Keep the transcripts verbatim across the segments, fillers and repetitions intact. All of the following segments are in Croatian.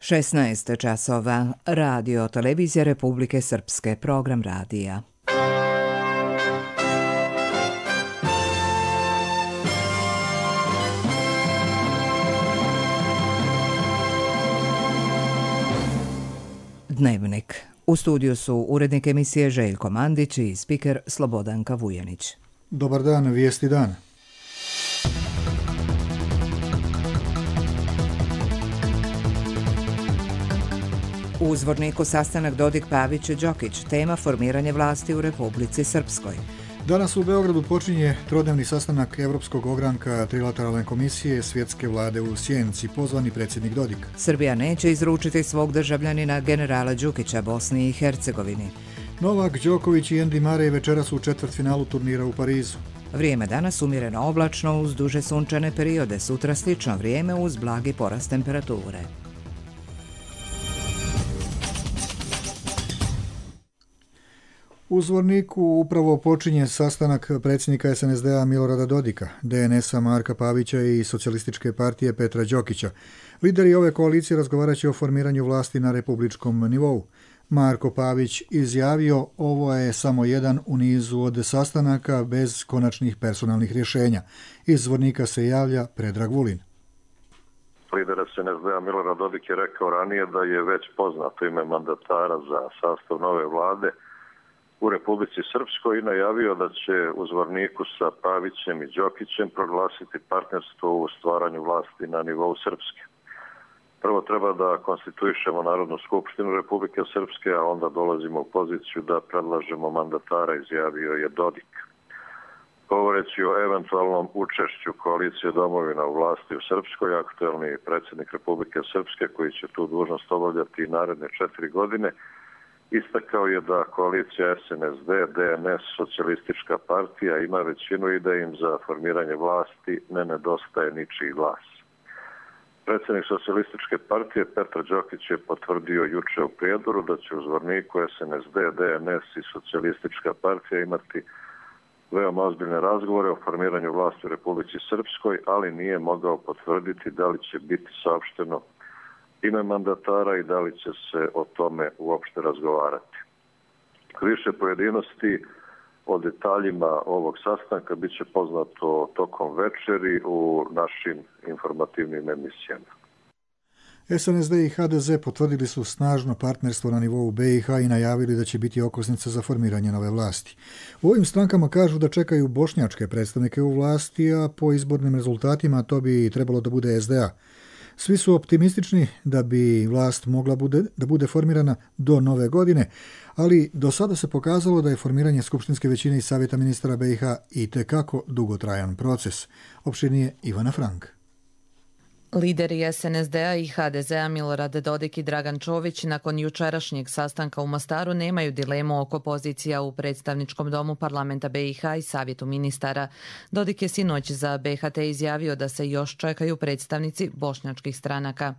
šesnaest časova. Radio Televizija Republike Srpske. Program radija. Dnevnik. U studiju su urednik emisije Željko Mandić i spiker Slobodanka Vujanić. Dobar dan, vijesti dana. U Zvorniku sastanak Dodik-Pavić-Đokić, tema formiranje vlasti u Republici Srpskoj. Danas u Beogradu počinje trodnevni sastanak Evropskog ogranka trilateralne komisije Svjetske vlade u Sjenci, pozvani predsjednik Dodik. Srbija neće izručiti svog državljanina generala Đukića Bosni i Hercegovini. Novak Đoković i Andy Murray večeras u četvrtfinalu turnira u Parizu. Vrijeme danas umjereno oblačno uz duže sunčane periode, sutra slično vrijeme uz blagi porast temperature. U Zvorniku upravo počinje sastanak predsjednika es en es de a Milorada Dodika, de en es a Marka Pavića i Socijalističke partije Petra Đokića. Lideri ove koalicije razgovarat će o formiranju vlasti na republičkom nivou. Marko Pavić izjavio, ovo je samo jedan u nizu od sastanaka bez konačnih personalnih rješenja. Iz Zvornika se javlja Predrag Vulin. Lider es en es de a Milorad Dodik je rekao ranije da je već poznato ime mandatara za sastav nove vlade u Republici Srpskoj i najavio da će u Zvorniku sa Pavićem i Đokićem proglasiti partnerstvo u stvaranju vlasti na nivou Srpske. Prvo treba da konstituišemo Narodnu skupštinu Republike Srpske, a onda dolazimo u poziciju da predlažemo mandatara, izjavio je Dodik. Govoreći o eventualnom učešću koalicije domovina u vlasti u Srpskoj, aktuelni predsjednik Republike Srpske, koji će tu dužnost obavljati naredne četiri godine, istakao je da koalicija es en es de, de en es, Socijalistička partija ima većinu i da im za formiranje vlasti ne nedostaje ničiji glas. Predsjednik Socijalističke partije Petar Đokić je potvrdio juče u Prijedoru da će u Zvorniku es en es de, de en es i Socijalistička partija imati veoma ozbiljne razgovore o formiranju vlasti u Republici Srpskoj, ali nije mogao potvrditi da li će biti saopšteno ime mandatara i da li će se o tome uopšte razgovarati. Više pojedinosti o detaljima ovog sastanka bit će poznato tokom večeri u našim informativnim emisijama. es en es de i ha de ze potvrdili su snažno partnerstvo na nivou be i ha i najavili da će biti okosnica za formiranje nove vlasti. U ovim strankama kažu da čekaju bošnjačke predstavnike u vlasti, a po izbornim rezultatima to bi trebalo da bude es de a. Svi su optimistični da bi vlast mogla bude, da bude formirana do nove godine, ali do sada se pokazalo da je formiranje skupštinske većine i savjeta ministara be i ha itekako dugotrajan proces. Opširnije Ivana Frank. Lideri es en es de a i ha de ze a Milorad Dodik i Dragan Čović nakon jučerašnjeg sastanka u Mostaru nemaju dilemu oko pozicija u predstavničkom domu parlamenta be i ha i savjetu ministara. Dodik je sinoć za be ha te izjavio da se još čekaju predstavnici bošnjačkih stranaka.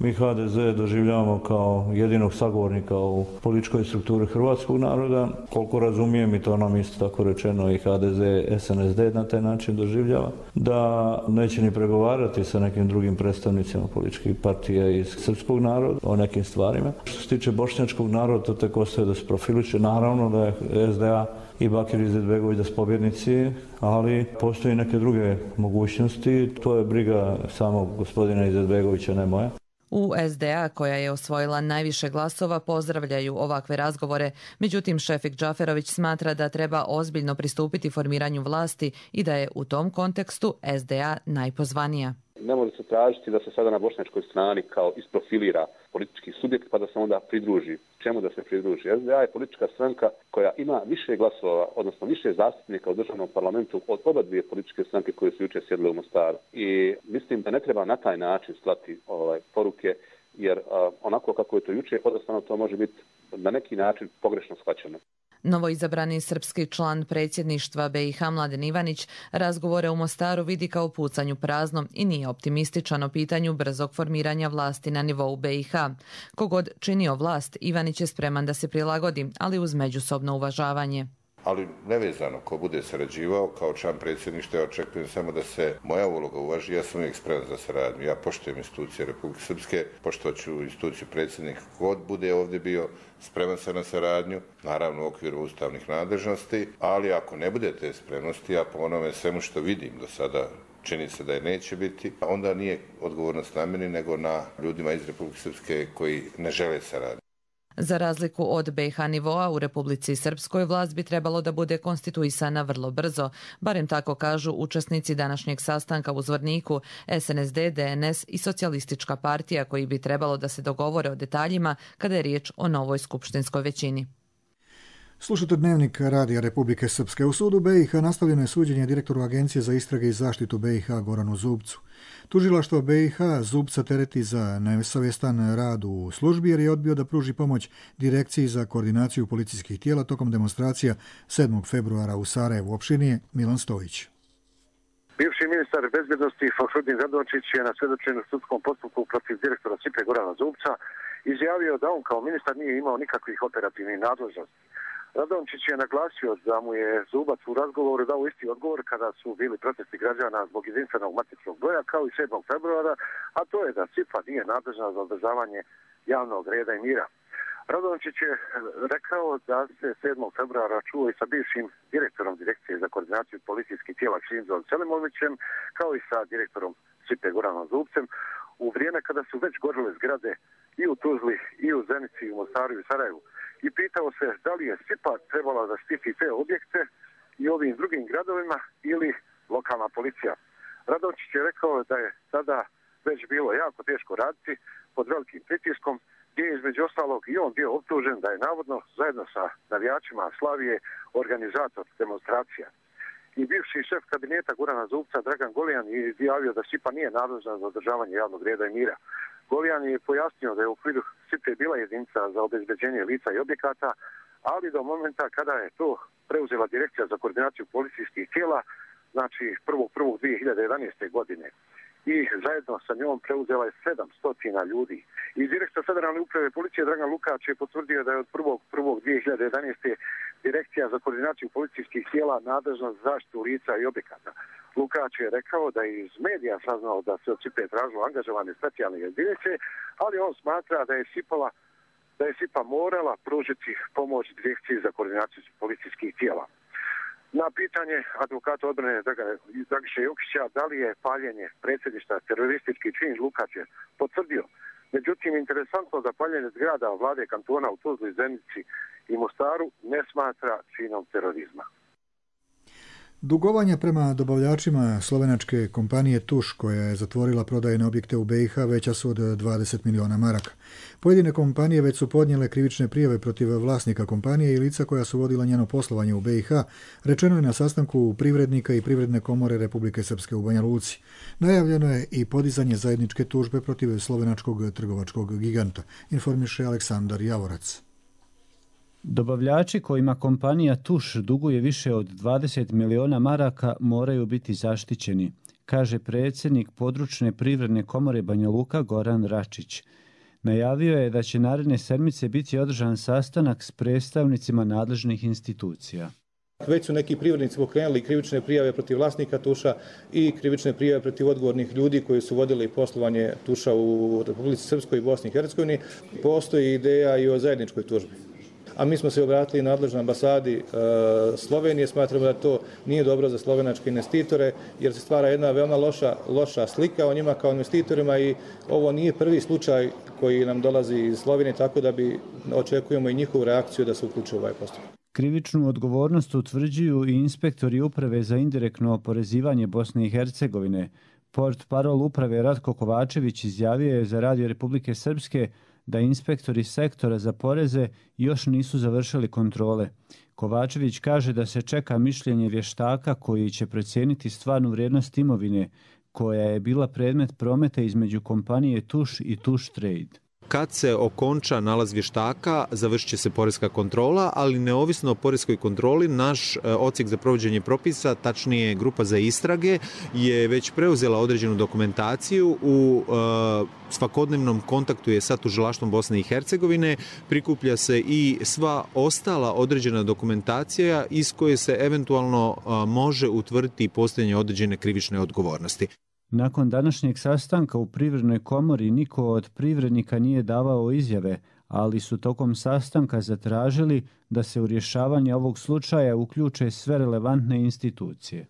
Mi ha de ze doživljavamo kao jedinog sagovornika u političkoj strukturi hrvatskog naroda. Koliko razumijem, i to nam isto tako rečeno, i ha de ze es en es de na taj način doživljava, da neće ni pregovarati sa nekim drugim predstavnicima političkih partija iz srpskog naroda o nekim stvarima. Što se tiče bošnjačkog naroda, to tek ostaje da se profiliše. Naravno da je es de a i Bakir Izetbegović da su pobjednici, ali postoji neke druge mogućnosti. To je briga samog gospodina Izetbegovića, ne moja. U es de a, koja je osvojila najviše glasova, pozdravljaju ovakve razgovore. Međutim, Šefik Džaferović smatra da treba ozbiljno pristupiti formiranju vlasti i da je u tom kontekstu es de a najpozvanija. Ne može se tražiti da se sada na bošnjačkoj strani kao isprofilira politički subjekt pa da se onda pridruži. Čemu da se pridruži? es de a je politička stranka koja ima više glasova, odnosno više zastupnika u državnom parlamentu od oba dvije političke stranke koje su jučer sjedile u Mostaru. I mislim da ne treba na taj način slati ovaj, poruke, jer a, onako kako je to jučer, odnosno to može biti na neki način pogrešno shvaćeno. Novoizabrani srpski član predsjedništva be i ha Mladen Ivanić razgovore u Mostaru vidi kao pucanju prazno i nije optimističan o pitanju brzog formiranja vlasti na nivou be i ha. Kogod činio vlast, Ivanić je spreman da se prilagodi, ali uz međusobno uvažavanje. Ali nevezano ko bude sarađivao, kao član predsjedništva ja očekujem samo da se moja uloga uvaži. Ja sam uvijek spreman za saradnju. Ja poštujem institucije Republike Srpske, poštovat instituciju predsjednika kod bude ovdje bio, spreman sam na saradnju, naravno u okviru ustavnih nadležnosti, ali ako ne bude te spremnosti, a po onome svemu što vidim do sada, čini se da je neće biti, onda nije odgovornost na meni, nego na ljudima iz Republike Srpske koji ne žele saradnju. Za razliku od B i H nivoa, u Republici Srpskoj vlast bi trebalo da bude konstituisana vrlo brzo, barem tako kažu učesnici današnjeg sastanka u Zvorniku, S N S D, D N S i Socijalistička partija, koji bi trebalo da se dogovore o detaljima kada je riječ o novoj skupštinskoj većini. Slušate Dnevnik Radija Republike Srpske. U sudu B i H nastavljeno je suđenje direktoru Agencije za istrage i zaštitu B i H Goranu Zubcu. Tužilaštvo B i H Zubca tereti za nesavjestan rad u službi jer je odbio da pruži pomoć Direkciji za koordinaciju policijskih tijela tokom demonstracija sedmog februara u Sarajevu, opštini Milan Stojić. Bivši ministar bezbjednosti Fahrudin Radončić je na svjedočenju sudskom postupku protiv direktora S I P-a Gorana Zubca izjavio da on kao ministar nije imao nikakvih operativnih nadležnosti. Radončić je naglasio da mu je Zubac u razgovoru dao isti odgovor kada su bili protesti građana zbog jedinstvenog matičnog broja kao i sedmog februara, a to je da S I P A nije nadležna za održavanje javnog reda i mira. Radončić je rekao da se sedmog februara čuo i sa bivšim direktorom Direkcije za koordinaciju policijskih tijela Šinzom Selimovićem, kao i sa direktorom S I P-a Goranom Zubcem, u vrijeme kada su već gorile zgrade i u Tuzli, i u Zenici, i u Mostaru, i u Sarajevu. I pitao se da li je S I P A trebala da štiti te objekte i ovim drugim gradovima ili lokalna policija. Radončić je rekao da je tada već bilo jako teško raditi pod velikim pritiskom, gdje je između ostalog i on bio optužen da je navodno zajedno sa navijačima Slavije organizator demonstracija. I bivši šef kabineta Gorana Zubca Dragan Golijan je izjavio da S I P A nije nadležna za održavanje javnog reda i mira. Golijan je pojasnio da je u okviru S I P A bila jedinica za obezbeđenje lica i objekata, ali do momenta kada je to preuzela Direkcija za koordinaciju policijskih tijela, znači prvog prvog dvije hiljade jedanaeste. godine. I zajedno sa njom preuzela je sedamsto ljudi. I direktor Federalne uprave policije Dragan Lukač je potvrdio da je od prvog prvog dvije hiljade jedanaeste. Direkcija za koordinaciju policijskih tijela nadležna za zaštitu lica i objekata. Lukač je rekao da je iz medija saznao da se od S I P A tražilo angažovane specijalne jedinice, ali on smatra da je S I P A, da je S I P A morala pružiti pomoć Direkciji za koordinaciju policijskih tijela. Na pitanje advokata odbrane Dragiše Jokića da li je paljenje predsjedništva teroristički čin, Lukač je potvrdio. Međutim, interesantno da paljenje zgrada vlade kantona u Tuzli, Zenici i Mostaru ne smatra činom terorizma. Dugovanja prema dobavljačima slovenačke kompanije Tuš, koja je zatvorila prodajne objekte u B i H, veća su od dvadeset miliona maraka. Pojedine kompanije već su podnijele krivične prijave protiv vlasnika kompanije i lica koja su vodila njeno poslovanje u B i H, rečeno je na sastanku Privrednika i Privredne komore Republike Srpske u Banja Luci. Najavljeno je i podizanje zajedničke tužbe protiv slovenačkog trgovačkog giganta, informiše Aleksandar Javorac. Dobavljači kojima kompanija Tuš duguje više od dvadeset miliona maraka moraju biti zaštićeni, kaže predsjednik područne Privredne komore Banja Luka Goran Račić. Najavio je da će naredne sedmice biti održan sastanak s predstavnicima nadležnih institucija. Već su neki privrednici pokrenuli krivične prijave protiv vlasnika Tuša i krivične prijave protiv odgovornih ljudi koji su vodili poslovanje Tuša u Republici Srpskoj i Bosni i Hercegovini. Postoji ideja i o zajedničkoj tužbi. A mi smo se obratili nadležnoj ambasadi e, Slovenije. Smatramo da to nije dobro za slovenačke investitore jer se stvara jedna veoma loša, loša slika o njima kao investitorima i ovo nije prvi slučaj koji nam dolazi iz Slovenije, tako da bi očekujemo i njihovu reakciju da se uključe u ovaj postupak. Krivičnu odgovornost utvrđuju i inspektori Uprave za indirektno oporezivanje Bosne i Hercegovine. Portparol uprave Ratko Kovačević izjavio je za Radio Republike Srpske da inspektori sektora za poreze još nisu završili kontrole. Kovačević kaže da se čeka mišljenje vještaka koji će procijeniti stvarnu vrijednost imovine koja je bila predmet prometa između kompanije Tuš i Tuš Trade. kad se okonča nalaz vještaka, završit će se poreska kontrola, ali neovisno o poreskoj kontroli, naš odsjek za provođenje propisa, tačnije grupa za istrage, je već preuzela određenu dokumentaciju, u svakodnevnom kontaktu je sa tužilaštvom Bosne i Hercegovine, prikuplja se i sva ostala određena dokumentacija iz koje se eventualno može utvrditi postojanje određene krivične odgovornosti. Nakon današnjeg sastanka u Privrednoj komori niko od privrednika nije davao izjave, ali su tokom sastanka zatražili da se u rješavanje ovog slučaja uključe sve relevantne institucije.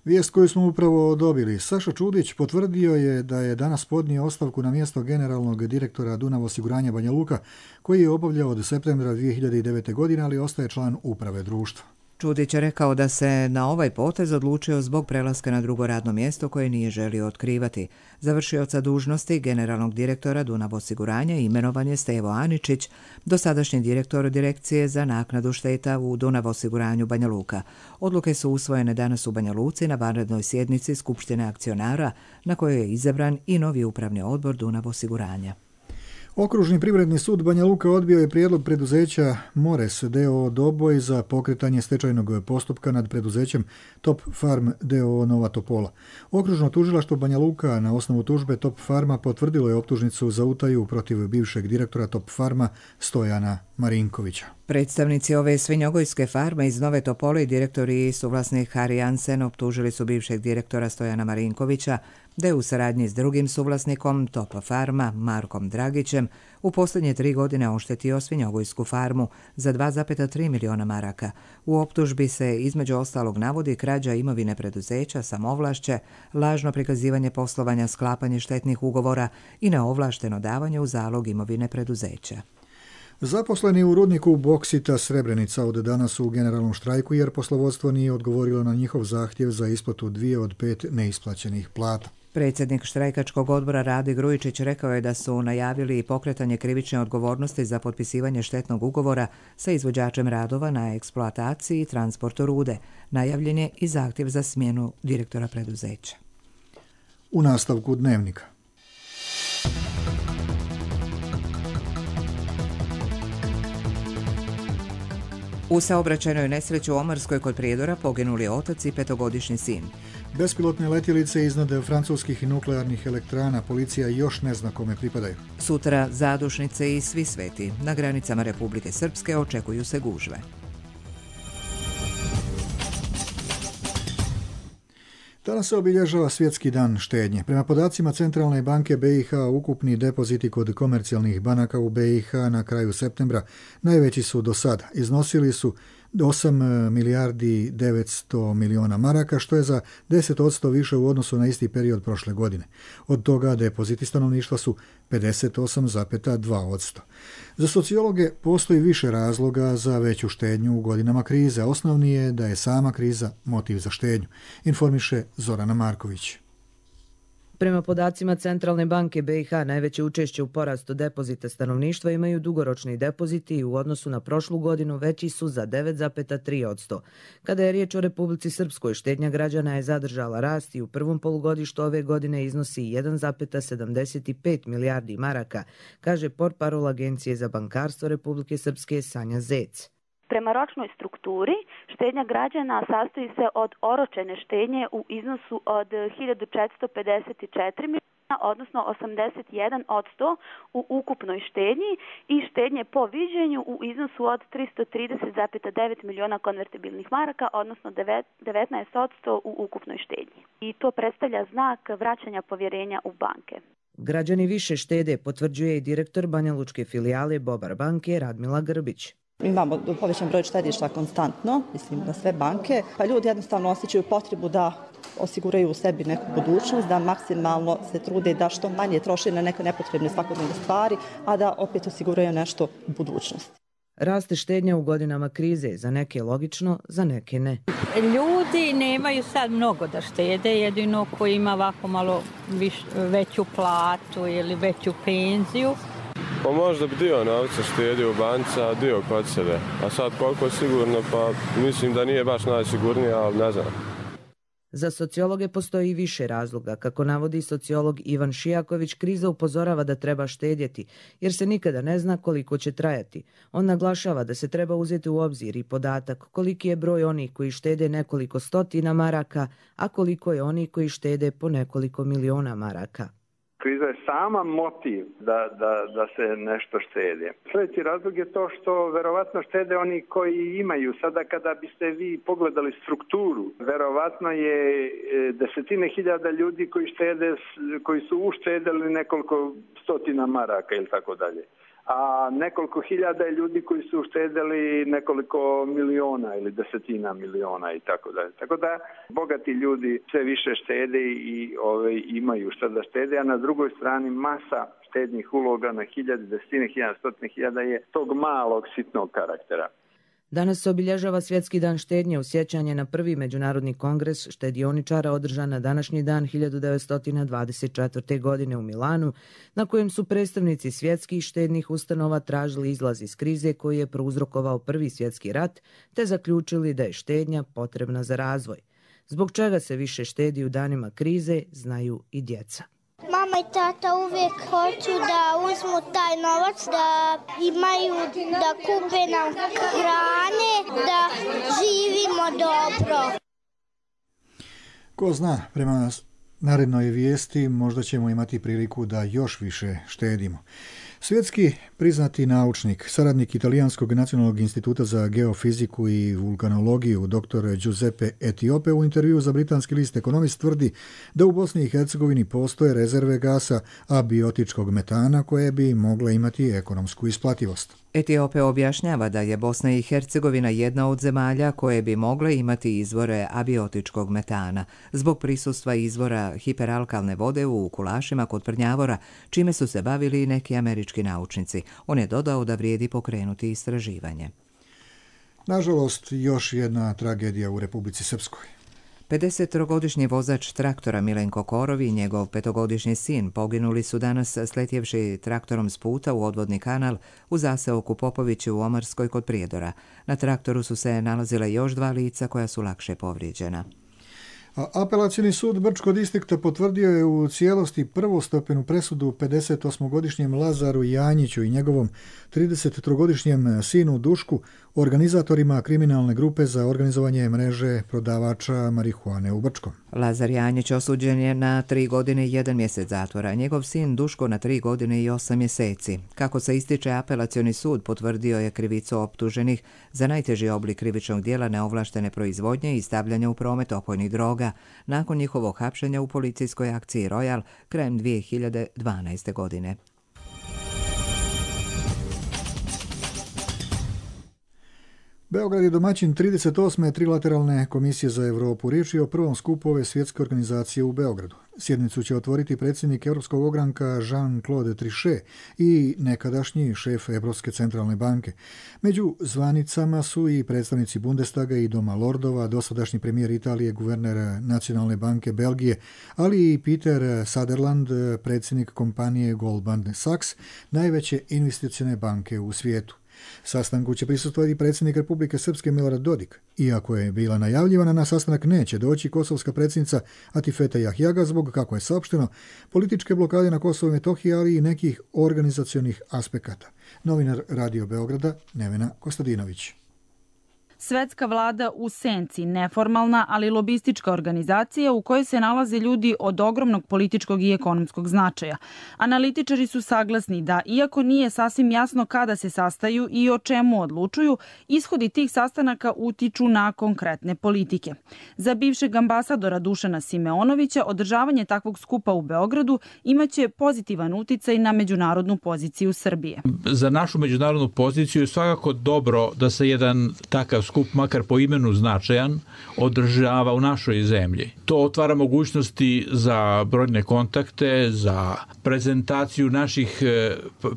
Vijest koju smo upravo dobili. Saša Čudić potvrdio je da je danas podnio ostavku na mjesto generalnog direktora Dunav osiguranja Banja Luka, koji je obavljao od septembra dvije hiljade devete. godine, ali ostaje član uprave društva. Čudić je rekao da se na ovaj potez odlučio zbog prelaska na drugo radno mjesto koje nije želio otkrivati. Završioca dužnosti generalnog direktora Dunav osiguranja imenovan je Stevo Aničić, dosadašnji direktor Direkcije za naknadu šteta u Dunav osiguranju Banja Luka. Odluke su usvojene danas u Banja Luci na vanrednoj sjednici Skupštine akcionara, na kojoj je izabran i novi upravni odbor Dunav osiguranja. Okružni privredni sud Banja Luka odbio je prijedlog preduzeća Mores d o o Doboj za pokretanje stečajnog postupka nad preduzećem Top Farm d o o Nova Topola. Okružno tužilaštvo Banja Luka na osnovu tužbe Top Farma potvrdilo je optužnicu za utaju protiv bivšeg direktora Top Farma Stojana Marinkovića. Predstavnici ove svinjogojske farme iz Nove Topole i direktori i suvlasnik Harry Jansen optužili su bivšeg direktora Stojana Marinkovića da je u saradnji s drugim suvlasnikom Top Farma, Markom Dragićem, u posljednje tri godine oštetio svinjogojsku farmu za dva zarez tri miliona maraka. U optužbi se između ostalog navodi krađa imovine preduzeća, samovlašće, lažno prikazivanje poslovanja, sklapanje štetnih ugovora i neovlašteno davanje u zalog imovine preduzeća. Zaposleni u rudniku Boksita Srebrenica od danas su u generalnom štrajku jer poslovodstvo nije odgovorilo na njihov zahtjev za isplatu dvije od pet neisplaćenih plata. Predsjednik štrajkačkog odbora Rade Grujičić rekao je da su najavili i pokretanje krivične odgovornosti za potpisivanje štetnog ugovora sa izvođačem radova na eksploataciji i transportu rude. Najavljen je i zahtjev za smjenu direktora preduzeća. U nastavku dnevnika. U saobraćajnoj nesreći u Omarskoj kod Prijedora poginuli otac i petogodišnji sin. Bespilotne letjelice iznad francuskih nuklearnih elektrana policija još ne zna kome pripadaju. Sutra Zadušnice i Svi sveti. Na granicama Republike Srpske očekuju se gužve. Danas se obilježava Svjetski dan štednje. Prema podacima Centralne banke B i H, ukupni depoziti kod komercijalnih banaka u B i H na kraju septembra najveći su do sada. Iznosili su osam milijardi devetsto miliona maraka, što je za deset posto više u odnosu na isti period prošle godine. Od toga depoziti stanovništva su pedeset osam zarez dva posto. Za sociologe postoji više razloga za veću štednju u godinama krize. Osnovni je da je sama kriza motiv za štednju, informiše Zorana Marković. Prema podacima Centralne banke B i H, najveće učešće u porastu depozita stanovništva imaju dugoročni depoziti i u odnosu na prošlu godinu veći su za devet zarez tri posto. Kada je riječ o Republici Srpskoj, štednja građana je zadržala rast i u prvom polugodištu ove godine iznosi jedan zarez sedamdeset pet milijardi maraka, kaže portparol Agencije za bankarstvo Republike Srpske Sanja Zec. Prema ročnoj strukturi, štednja građana sastoji se od oročene štednje u iznosu od hiljadu četiristo pedeset četiri miliona, odnosno osamdeset jedan posto u ukupnoj štednji i štednje po viđenju u iznosu od tristo trideset zarez devet miliona konvertibilnih maraka, odnosno devetnaest posto u ukupnoj štednji. I to predstavlja znak vraćanja povjerenja u banke. Građani više štede, potvrđuje i direktor Banjalučke filijale Bobar banke Radmila Grbić. Imamo povećan broj štedišta konstantno, mislim na sve banke, pa ljudi jednostavno osjećaju potrebu da osiguraju u sebi neku budućnost, da maksimalno se trude da što manje troše na neke nepotrebne svakodnevne stvari, a da opet osiguraju nešto u budućnosti. Raste štednja u godinama krize, za neke logično, za neke ne. Ljudi nemaju sad mnogo da štede, jedino ko ima ovako malo viš, veću platu ili veću penziju. Pa možda bi dio novca štedi u banci, a dio kod sebe. A sad koliko je sigurno, pa mislim da nije baš najsigurnije, ali ne znam. Za sociologe postoji više razloga. Kako navodi sociolog Ivan Šijaković, kriza upozorava da treba štedjeti, jer se nikada ne zna koliko će trajati. On naglašava da se treba uzeti u obzir i podatak koliki je broj onih koji štede nekoliko stotina maraka, a koliko je onih koji štede po nekoliko miliona maraka. Kriza je sama motiv da, da, da se nešto štede. Sljedeći razlog je to što verovatno štede oni koji imaju. Sada kada biste vi pogledali strukturu, verovatno je desetine hiljada ljudi koji štede, koji su uštedeli nekoliko stotina maraka ili tako dalje. A nekoliko hiljada je ljudi koji su uštedeli nekoliko miliona ili desetina miliona i tako dalje. Tako da bogati ljudi sve više štede i ove, imaju šta da štede, a na drugoj strani masa štednih uloga na hiljade, desetine hiljada, stotine hiljada je tog malog sitnog karaktera. Danas se obilježava Svjetski dan štednje u sjećanje na prvi međunarodni kongres štedioničara održan na današnji dan hiljadu devetsto dvadeset četvrte. godine u Milanu, na kojem su predstavnici svjetskih štednih ustanova tražili izlaz iz krize koji je prouzrokovao Prvi svjetski rat, te zaključili da je štednja potrebna za razvoj. Zbog čega se više štedi u danima krize, znaju i djeca. Mama i tata uvijek hoću da uzmu taj novac, da imaju, da kupe nam hrane, da živimo dobro. Ko zna, prema narednoj vijesti možda ćemo imati priliku da još više štedimo. Svjetski priznati naučnik, saradnik Italijanskog nacionalnog instituta za geofiziku i vulkanologiju, dr. Giuseppe Etiope, u intervjuu za britanski list Economist tvrdi da u Bosni i Hercegovini postoje rezerve gasa abiotičkog metana koje bi mogle imati ekonomsku isplativost. Etiope objašnjava da je Bosna i Hercegovina jedna od zemalja koje bi mogle imati izvore abiotičkog metana zbog prisustva izvora hiperalkalne vode u kulašima kod Prnjavora, čime su se bavili neki američki naučnici. On je dodao da vrijedi pokrenuti istraživanje. Nažalost, još jedna tragedija u Republici Srpskoj. pedesettrogodišnji vozač traktora Milenko Korov i njegov petogodišnji sin poginuli su danas sletjevši traktorom s puta u odvodni kanal u zaseoku Popovići u Omarskoj kod Prijedora. Na traktoru su se nalazile još dva lica koja su lakše povrijeđena. A apelacijni sud Brčkog distrikta potvrdio je u cijelosti prvostepenu presudu pedesetosmogodišnjem Lazaru Janjiću i njegovom tridesettrogodišnjem sinu Dušku, organizatorima kriminalne grupe za organizovanje mreže prodavača marihuane u Brčkom. Lazar Janjić osuđen je na tri godine i jedan mjesec zatvora, njegov sin Duško na tri godine i osam mjeseci. Kako se ističe, apelacioni sud potvrdio je krivicu optuženih za najteži oblik krivičnog djela neovlaštene proizvodnje i stavljanja u promet opojnih droga nakon njihovog hapšenja u policijskoj akciji Royal krajem dvije hiljade dvanaeste. godine. Beograd je domaćin trideset osme trilateralne komisije za Europu. Riječ je o prvom skupu ove svjetske organizacije u Beogradu. Sjednicu će otvoriti predsjednik Europskog ogranka Jean-Claude Trichet i nekadašnji šef Europske centralne banke. Među zvanicama su i predstavnici Bundestaga i Doma lordova, dosadašnji premijer Italije, guverner Nacionalne banke Belgije, ali i Peter Sutherland, predsjednik kompanije Goldman Sachs, najveće investicione banke u svijetu. Sastanku će prisustvovati predsjednik Republike Srpske Milorad Dodik. Iako je bila najavljivana, na sastanak neće doći kosovska predsjednica Atifete Jahjaga zbog, kako je saopšteno, političke blokade na Kosovo i Metohiji, ali i nekih organizacionih aspekata. Novinar Radio Beograda Nevena Kostadinović. Svetska vlada u senci, neformalna, ali lobistička organizacija u kojoj se nalaze ljudi od ogromnog političkog i ekonomskog značaja. Analitičari su saglasni da, iako nije sasvim jasno kada se sastaju i o čemu odlučuju, ishodi tih sastanaka utiču na konkretne politike. Za bivšeg ambasadora Dušana Simeonovića, održavanje takvog skupa u Beogradu imaće pozitivan uticaj na međunarodnu poziciju Srbije. Za našu međunarodnu poziciju je svakako dobro da se jedan takav skup, makar po imenu značajan, održava u našoj zemlji. To otvara mogućnosti za brojne kontakte, za prezentaciju naših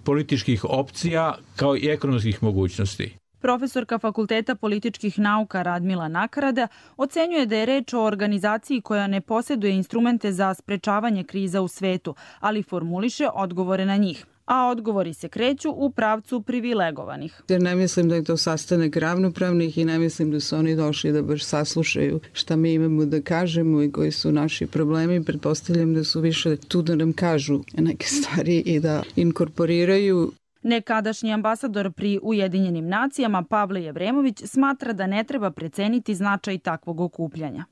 političkih opcija kao i ekonomskih mogućnosti. Profesorka Fakulteta političkih nauka Radmila Nakarada ocenjuje da je reč o organizaciji koja ne posjeduje instrumente za sprečavanje kriza u svetu, ali formuliše odgovore na njih. a odgovori se kreću u pravcu privilegovanih. Jer ne mislim da je to sastanak ravnopravnih i ne mislim da su oni došli da baš saslušaju šta mi imamo da kažemo i koji su naši problemi. Pretpostavljam da su više tu da nam kažu neke stvari i da inkorporiraju. Nekadašnji ambasador pri Ujedinjenim nacijama Pavle Jevremović smatra da ne treba preceniti značaj takvog okupljanja.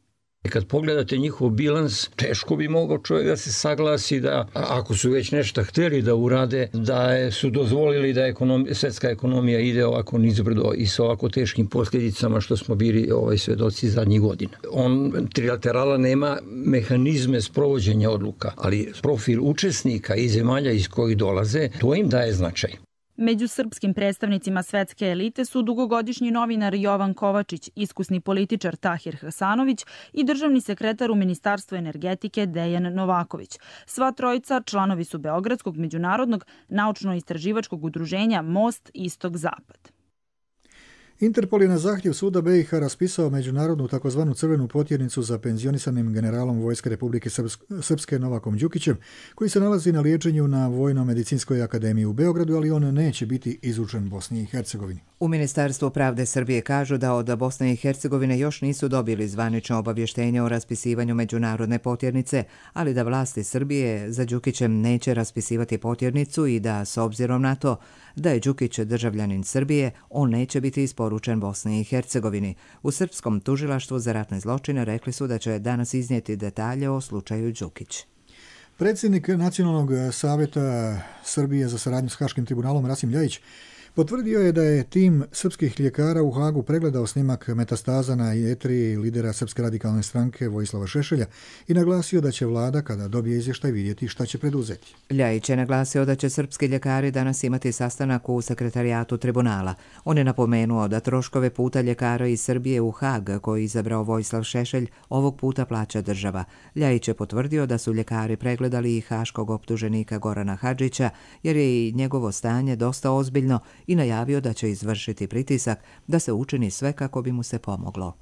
Kad pogledate njihov bilans, teško bi mogao čovjek da se saglasi da ako su već nešto htjeli da urade, da su dozvolili da ekonomija, svetska ekonomija ide ovako nizbrdo i sa ovako teškim posljedicama što smo bili ovaj, svedoci zadnjih godina. On, trilaterala, nema mehanizme sprovođenja odluka, ali profil učesnika i zemalja iz kojih dolaze, to im daje značaj. Među srpskim predstavnicima svetske elite su dugogodišnji novinar Jovan Kovačić, iskusni političar Tahir Hasanović i državni sekretar u Ministarstvu energetike Dejan Novaković. Sva trojica članovi su Beogradskog međunarodnog naučno-istraživačkog udruženja Most Istok-Zapad. Interpol je na zahtjev suda B i H raspisao međunarodnu takozvanu crvenu potjernicu za penzionisanim generalom Vojske Republike Srpske Novakom Đukićem, koji se nalazi na liječenju na Vojno-medicinskoj akademiji u Beogradu, ali on neće biti izučen Bosni i Hercegovini. U Ministarstvu pravde Srbije kažu da od Bosne i Hercegovine još nisu dobili zvanično obavještenje o raspisivanju međunarodne potjernice, ali da vlasti Srbije za Đukićem neće raspisivati potjernicu i da, s obzirom na to da je Đukić državljanin Srbije, on neće biti isporučen Bosni i Hercegovini. U Srpskom tužilaštvu za ratne zločine rekli su da će danas iznijeti detalje o slučaju Đukić. Predsjednik Nacionalnog savjeta Srbije za saradnju s Haškim tribunalom Rasim Ljajić potvrdio je da je tim srpskih ljekara u Hagu pregledao snimak metastaza na jetri lidera Srpske radikalne stranke Vojislava Šešelja i naglasio da će vlada, kada dobije izvještaj, vidjeti šta će preduzeti. Ljajić je naglasio da će srpski ljekari danas imati sastanak u sekretarijatu tribunala. On je napomenuo da troškove puta ljekara iz Srbije u Hag, koji izabrao Vojislav Šešelj, ovog puta plaća država. Ljajić je potvrdio da su ljekari pregledali i haškog optuženika Gorana Hadžića, jer je i njegovo stanje dosta ozbiljno, i najavio da će izvršiti pritisak da se učini sve kako bi mu se pomoglo.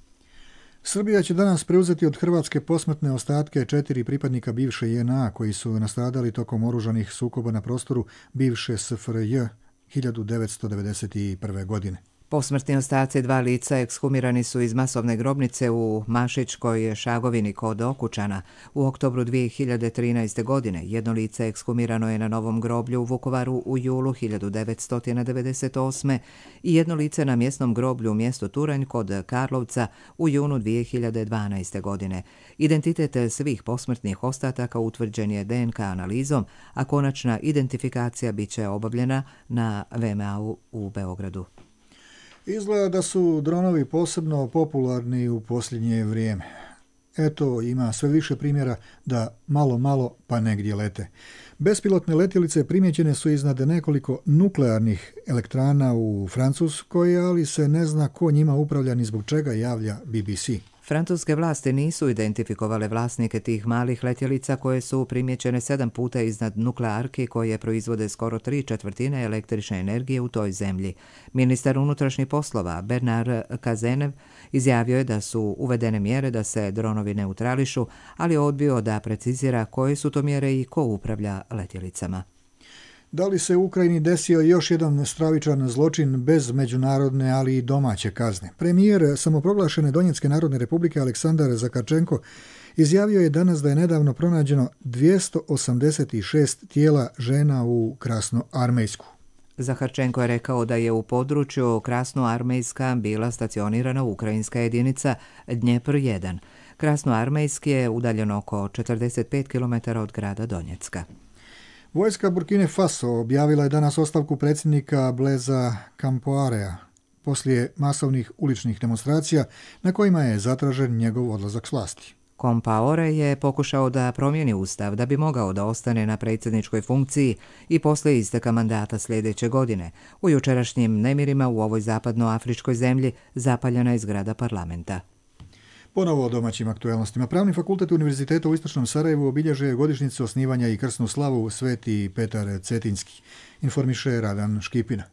Srbija će danas preuzeti od Hrvatske posmrtne ostatke četiri pripadnika bivše J N A koji su nastradali tokom oružanih sukoba na prostoru bivše S F R J hiljadu devetsto devedeset prve. godine. Posmrtni ostaci dva lica ekshumirani su iz masovne grobnice u Mašičkoj Šagovini kod Okučana. U oktobru dvije hiljade trinaeste. godine jedno lice ekshumirano je na Novom groblju u Vukovaru u julu hiljadu devetsto devedeset osme. i jedno lice na mjesnom groblju u mjestu Turanj kod Karlovca u junu dvije hiljade dvanaeste. godine. Identitet svih posmrtnih ostataka utvrđen je D N K analizom, a konačna identifikacija bit će obavljena na V M A-u u Beogradu. Izgleda da su dronovi posebno popularni u posljednje vrijeme. Eto, ima sve više primjera da malo, malo pa negdje lete. Bespilotne letjelice primjećene su iznad nekoliko nuklearnih elektrana u Francuskoj, ali se ne zna ko njima upravlja ni zbog čega, javlja B B C. Francuske vlasti nisu identifikovale vlasnike tih malih letjelica koje su primjećene sedam puta iznad nuklearki koje proizvode skoro tri četvrtine električne energije u toj zemlji. Ministar unutrašnjih poslova Bernard Cazeneuve izjavio je da su uvedene mjere da se dronovi neutrališu, ali je odbio da precizira koje su to mjere i ko upravlja letjelicama. Da li se u Ukrajini desio još jedan stravičan zločin bez međunarodne, ali i domaće kazne? Premijer samoproglašene Donjecke narodne republike Aleksandar Zakarčenko izjavio je danas da je nedavno pronađeno dvjesto osamdeset šest tijela žena u Krasnoarmejsku. Zaharčenko je rekao da je u području Krasnoarmejska bila stacionirana ukrajinska jedinica Dnjepr jedan. Krasnoarmejski je udaljen oko četrdeset pet kilometara od grada Donjecka. Vojska Burkine Faso objavila je danas ostavku predsjednika Blaisa Compaorea poslije masovnih uličnih demonstracija na kojima je zatražen njegov odlazak s vlasti. Compaore je pokušao da promijeni ustav da bi mogao da ostane na predsjedničkoj funkciji i poslije isteka mandata sljedeće godine. U jučerašnjim nemirima u ovoj zapadnoafričkoj zemlji zapaljena je zgrada parlamenta. Ponovo o domaćim aktualnostima. Pravni fakultet Univerziteta u Istočnom Sarajevu obilježuje godišnjicu osnivanja i krsnu slavu Sveti Petar Cetinski. Informiše Radan Škipina.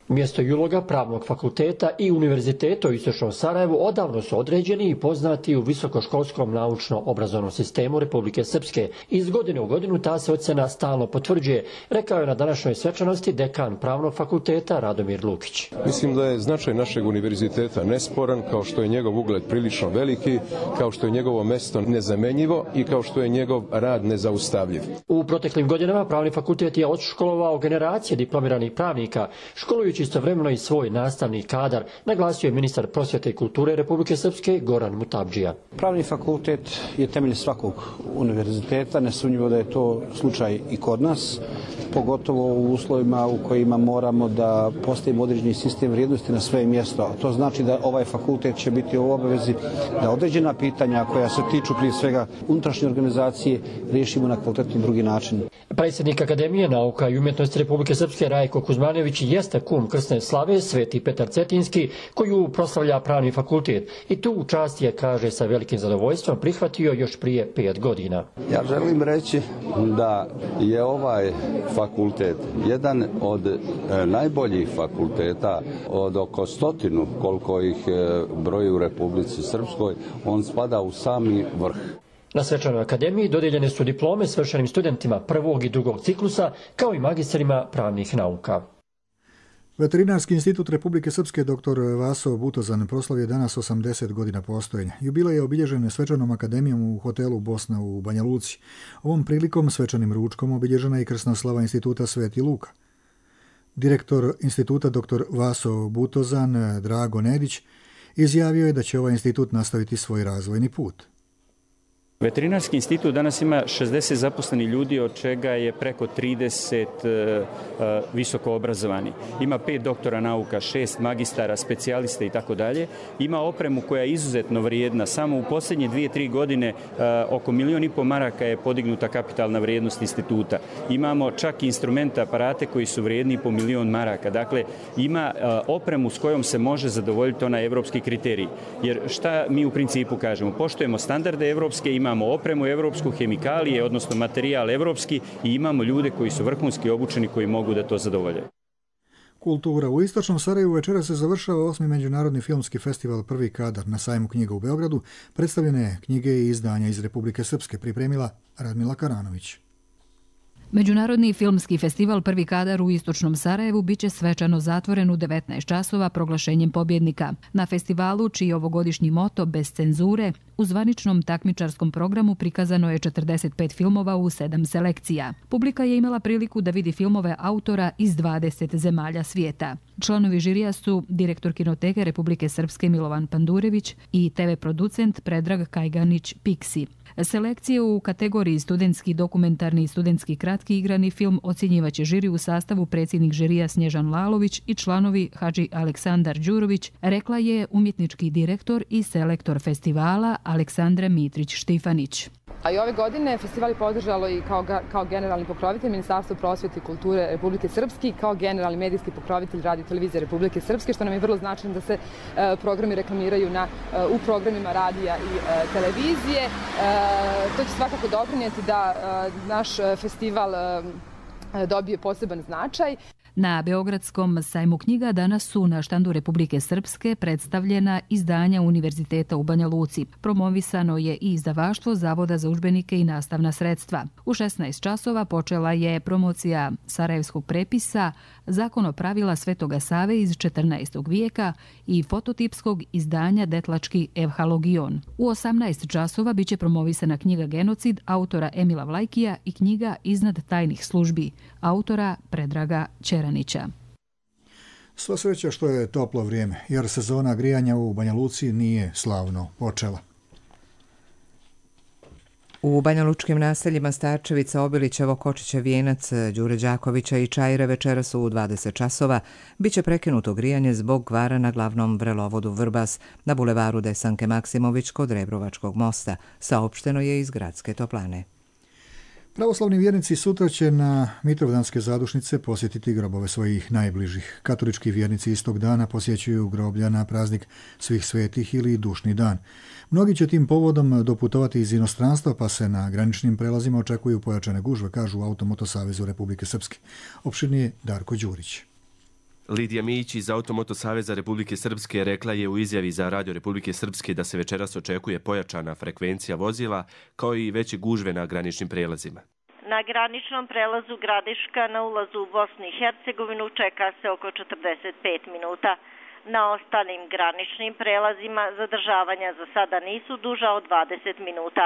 Mjesto i uloga Pravnog fakulteta i Univerziteta u Istočnom Sarajevu odavno su određeni i poznati u visokoškolskom naučno-obrazovnom sistemu Republike Srpske. Iz godine u godinu ta se ocjena stalno potvrđuje, rekao je na današnjoj svečanosti dekan Pravnog fakulteta Radomir Lukić. Mislim da je značaj našeg univerziteta nesporan, kao što je njegov ugled prilično veliki, kao što je njegovo mesto nezamenjivo i kao što je njegov rad nezaustavljiv. U proteklim godinama Pravni fakultet je odškolovao generacije diplomiranih pravnika, školujući istovremeno i svoj nastavni kadar, naglasio je ministar prosvjete i kulture Republike Srpske Goran Mutabdžija. Pravni fakultet je temelj svakog univerziteta, nesumnjivo da je to slučaj i kod nas, pogotovo u uslovima u kojima moramo da postavimo određeni sistem vrijednosti na sve mjesto. To znači da ovaj fakultet će biti u obavezi da određena pitanja koja se tiču prije svega unutrašnje organizacije riješimo na kvalitetni drugi način. Predsjednik Akademije nauka i umjetnosti Republike Srpske Rajko Kuzmanović jeste kum krsne slave Sveti Petar Cetinski, koju proslavlja Pravni fakultet. I tu čast je, kaže, sa velikim zadovoljstvom prihvatio još prije pet godina. Ja želim reći da je ovaj fakultet jedan od e, najboljih fakulteta, od oko stotinu koliko ih e, broji u Republici Srpskoj, on spada u sami vrh. Na svečanoj akademiji dodijeljene su diplome svršenim studentima prvog i drugog ciklusa, kao i magistrima pravnih nauka. Veterinarski institut Republike Srpske dr. Vaso Butozan proslavio danas osamdeset godina postojanja. Jubilej je obilježen svečanom akademijom u hotelu Bosna u Banja Luci. Ovom prilikom svečanim ručkom obilježena je i krsna slava instituta Sveti Luka. Direktor instituta dr. Vaso Butozan Drago Nedić izjavio je da će ovaj institut nastaviti svoj razvojni put. Veterinarski institut danas ima šezdeset zaposlenih ljudi, od čega je preko trideset uh, visoko obrazovani. Ima pet doktora nauka, šest magistara, specijalista i tako dalje. Ima opremu koja je izuzetno vrijedna. Samo u posljednje dvije, tri godine uh, oko milijon i po maraka je podignuta kapitalna vrijednost instituta. Imamo čak i instrumente, aparate koji su vrijedni po milijon maraka. Dakle, ima uh, opremu s kojom se može zadovoljiti onaj evropski kriterij. Jer šta mi u principu kažemo? Poštujemo standarde evropske, ima imamo opremu evropsku, hemikalije, odnosno materijal evropski i imamo ljude koji su vrhunski obučeni koji mogu da to zadovolje. Kultura. U Istočnom Sarajevu večera se završava osmi međunarodni filmski festival Prvi kadar. Na sajmu knjiga u Beogradu predstavljene knjige i izdanja iz Republike Srpske pripremila Radmila Karanović. Međunarodni filmski festival Prvi kadar u Istočnom Sarajevu biće svečano zatvoren u devetnaest časova proglašenjem pobjednika. Na festivalu, čiji ovogodišnji moto bez cenzure, u zvaničnom takmičarskom programu prikazano je četrdeset pet filmova u sedam selekcija. Publika je imala priliku da vidi filmove autora iz dvadeset zemalja svijeta. Članovi žirija su direktor Kinoteke Republike Srpske Milovan Pandurević i te ve producent Predrag Kajganić Piksi. Selekcije u kategoriji studentski, dokumentarni i studentski kratki igrani film ocjenjivaće žiri u sastavu predsjednik žirija Snježan Lalović i članovi Hadži Aleksandar Đurović, rekla je umjetnički direktor i selektor festivala Aleksandra Mitrić-Štifanić. A i ove godine festival je podržalo i kao, kao generalni pokrovitelj Ministarstvo prosvjete i kulture Republike Srpske, kao generalni medijski pokrovitelj Radio televizije Republike Srpske, što nam je vrlo značajno da se e, programi reklamiraju na, e, u programima radija i e, televizije. E, to će svakako doprinijeti da e, naš festival e, dobije poseban značaj. Na Beogradskom sajmu knjiga danas su na štandu Republike Srpske predstavljena izdanja Univerziteta u Banja Luci. Promovisano je i izdavaštvo Zavoda za udžbenike i nastavna sredstva. U šesnaest časova počela je promocija sarajevskog prepisa Zakonopravila Svetoga Save iz četrnaestog vijeka i fototipskog izdanja Detlački evhalogion. U osamnaest časova biće promovisana knjiga Genocid autora Emila Vlajkija i knjiga Iznad tajnih službi autora Predraga Čeranića. Sva sreća što je toplo vrijeme, jer sezona grijanja u Banja Luci nije slavno počela. U banjalučkim naseljima Starčevica, Obilićevo, Kočića, Vijenac, Đure Đakovića i Čajre večeras u dvadeset časova biće prekinuto grijanje zbog kvara na glavnom vrelovodu Vrbas na bulevaru Desanke Maksimović kod Rebrovačkog mosta, saopšteno je iz gradske toplane. Pravoslavni vjernici sutra će na Mitrovdanske zadušnice posjetiti grobove svojih najbližih. Katolički vjernici istog dana posjećuju groblja na praznik Svih svetih ili Dušni dan. Mnogi će tim povodom doputovati iz inostranstva, pa se na graničnim prelazima očekuju pojačane gužve, kažu u Automoto Savezu Republike Srpske. Opširnije Darko Đurić. Lidija Mijić iz Automoto Saveza Republike Srpske rekla je u izjavi za Radio Republike Srpske da se večeras očekuje pojačana frekvencija vozila kao i veće gužve na graničnim prelazima. Na graničnom prelazu Gradiška na ulazu u Bosnu i Hercegovinu čeka se oko četrdeset pet minuta. Na ostalim graničnim prelazima zadržavanja za sada nisu duža od dvadeset minuta.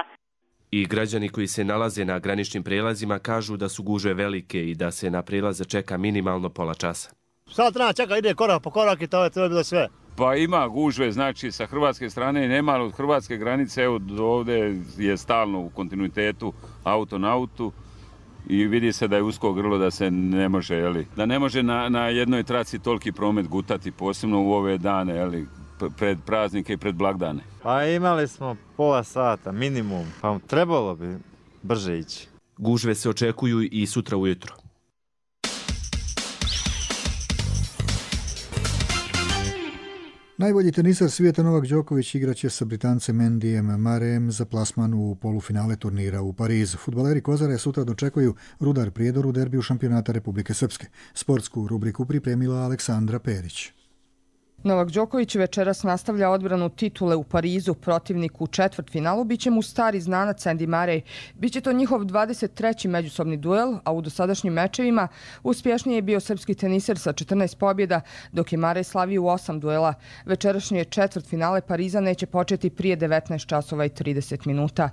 I građani koji se nalaze na graničnim prelazima kažu da su gužve velike i da se na prelaze čeka minimalno pola časa. Sad treba čeka, ide korak po korak i to je, to je bilo sve. Pa ima gužve, znači sa hrvatske strane nema, od hrvatske granice, evo ovdje je stalno u kontinuitetu auto na autu i vidi se da je usko grlo, da se ne može, jeli, da ne može na, na jednoj traci toliki promet gutati, posebno u ove dane, jeli, pred praznike i pred blagdane. Pa imali smo pola sata, minimum, pa trebalo bi brže ići. Gužve se očekuju i sutra ujutro. Najbolji tenisar svijeta Novak Đoković igraće sa Britancem Andyjem Murrayem za plasman u polufinale turnira u Parizu. Fudbaleri Kozare sutra dočekuju Rudar Prijedor u derbiju šampionata Republike Srpske. Sportsku rubriku pripremila Aleksandra Perić. Novak Đoković večeras nastavlja odbranu titule u Parizu. Protivnik u četvrtfinalu biće mu stari znanac Andy Murray. Biće to njihov dvadeset treći međusobni duel, a u dosadašnjim mečevima uspješniji je bio srpski teniser sa četrnaest pobjeda, dok je Murray slavio u osam duela. Večerašnje četvrtfinale Pariza neće početi prije devetnaest časova i trideset minuta.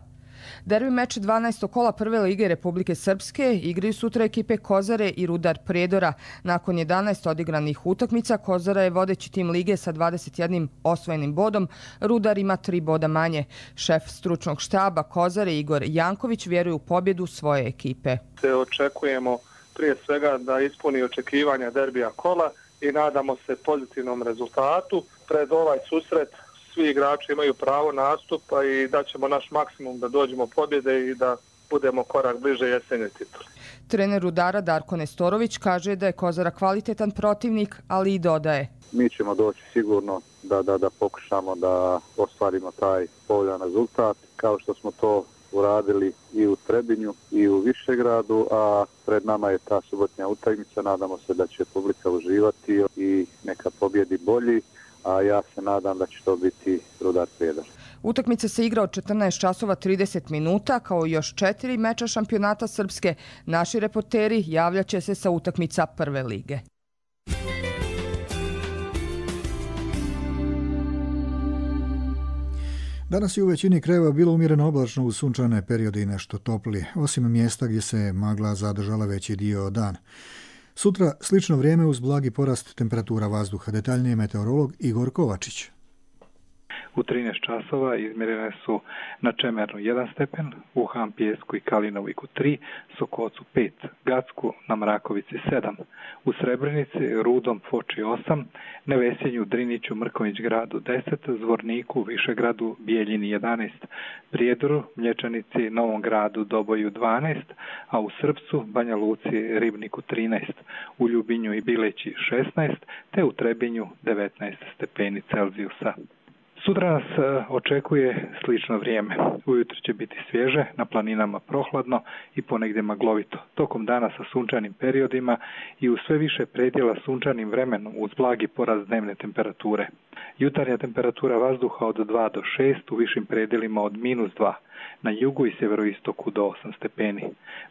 Derbi meč dvanaestog kola Prve lige Republike Srpske igraju sutra ekipe Kozare i Rudar Prijedora. Nakon jedanaest odigranih utakmica, Kozara je vodeći tim lige sa dvadeset jednim osvojenim bodom, Rudar ima tri boda manje. Šef stručnog štaba Kozare Igor Janković vjeruje u pobjedu svoje ekipe. Se očekujemo prije svega da ispuni očekivanja derbija kola i nadamo se pozitivnom rezultatu. Pred ovaj susret svi igrači imaju pravo nastupa i daćemo naš maksimum da dođemo pobjede i da budemo korak bliže jesenjoj tituli. Trener Rudara Darko Nestorović kaže da je Kozara kvalitetan protivnik, ali i dodaje. Mi ćemo doći sigurno da, da, da pokušamo da ostvarimo taj povoljan rezultat, kao što smo to uradili i u Trebinju i u Višegradu, a pred nama je ta subotnja utakmica. Nadamo se da će publika uživati i neka pobjedi bolji, a ja se nadam da će to biti Rudar Prijedor. Utakmica se igra od četrnaest časova trideset minuta, kao i još četiri meča šampionata Srpske. Naši reporteri javljaće se sa utakmica Prve lige. Danas je u većini krajeva bilo umjereno oblačno uz sunčane periode i nešto toplije, osim mjesta gdje se magla zadržala veći dio dana. Sutra slično vrijeme uz blagi porast temperatura vazduha. Detaljnije meteorolog Igor Kovačić. U trinaest časova izmjerene su na Čemernu jedan stepen, u Han Pijesku i Kalinoviku tri, Sokocu pet, Gacku na Mrakovici sedam, u Srebrenici, Rudom, Foči osam, Nevesinju, Driniću, Mrković gradu deset, Zvorniku, Višegradu, Bijeljini jedanaest, Prijedoru, Mlječanici, Novom gradu, Doboju dvanaest, a u Srpcu, Banja Luci, Ribniku trinaest, u Ljubinju i Bileći šesnaest, te u Trebinju devetnaest stepeni Celzijusa. Sutra nas očekuje slično vrijeme. Ujutro će biti svježe, na planinama prohladno i ponegdje maglovito. Tokom dana sa sunčanim periodima i u sve više predjela sunčanim vremenom uz blagi porast dnevne temperature. Jutarnja temperatura vazduha od dva do šest, u višim predjelima od minus dva. Na jugu i sjeveroistoku do osam stepeni.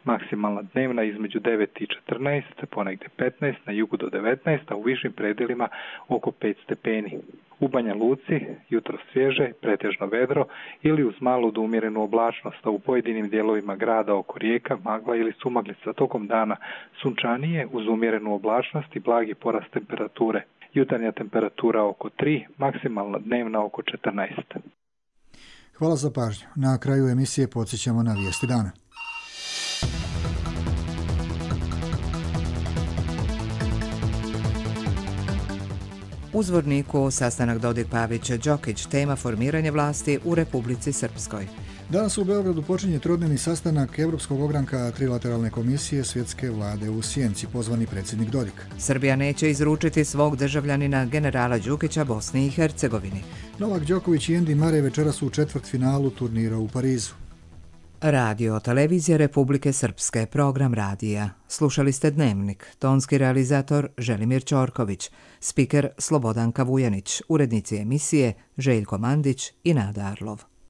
Maksimalna dnevna između devet i četrnaest, ponegdje petnaest, na jugu do devetnaest, a u višim predjelima oko pet stepeni. U Banja Luci jutro svježe, pretežno vedro ili uz malu do umjerenu oblačnost, a u pojedinim dijelovima grada oko rijeka, magla ili sumaglica. Tokom dana sunčanije uz umjerenu oblačnost i blagi porast temperature. Jutarnja temperatura oko tri, maksimalna dnevna oko četrnaest. Hvala za pažnju. Na kraju emisije podsjećamo na vijesti dana. U Zvorniku sastanak Dodik-Pavić-Đokić, tema formiranje vlasti u Republici Srpskoj. Danas u Beogradu počinje trodnevni sastanak Evropskog ogranka trilateralne komisije svjetske vlade u Sjenci, pozvani predsjednik Dodik. Srbija neće izručiti svog državljanina generala Đukića Bosni i Hercegovini. Novak Đoković i Andy Murray večeras u četvrtfinalu turnira u Parizu. Radio Televizija Republike Srpske, program radija. Slušali ste Dnevnik, tonski realizator Želimir Ćorković, spiker Slobodanka Vujanić, urednici emisije Željko Mandić i Nada Arlov.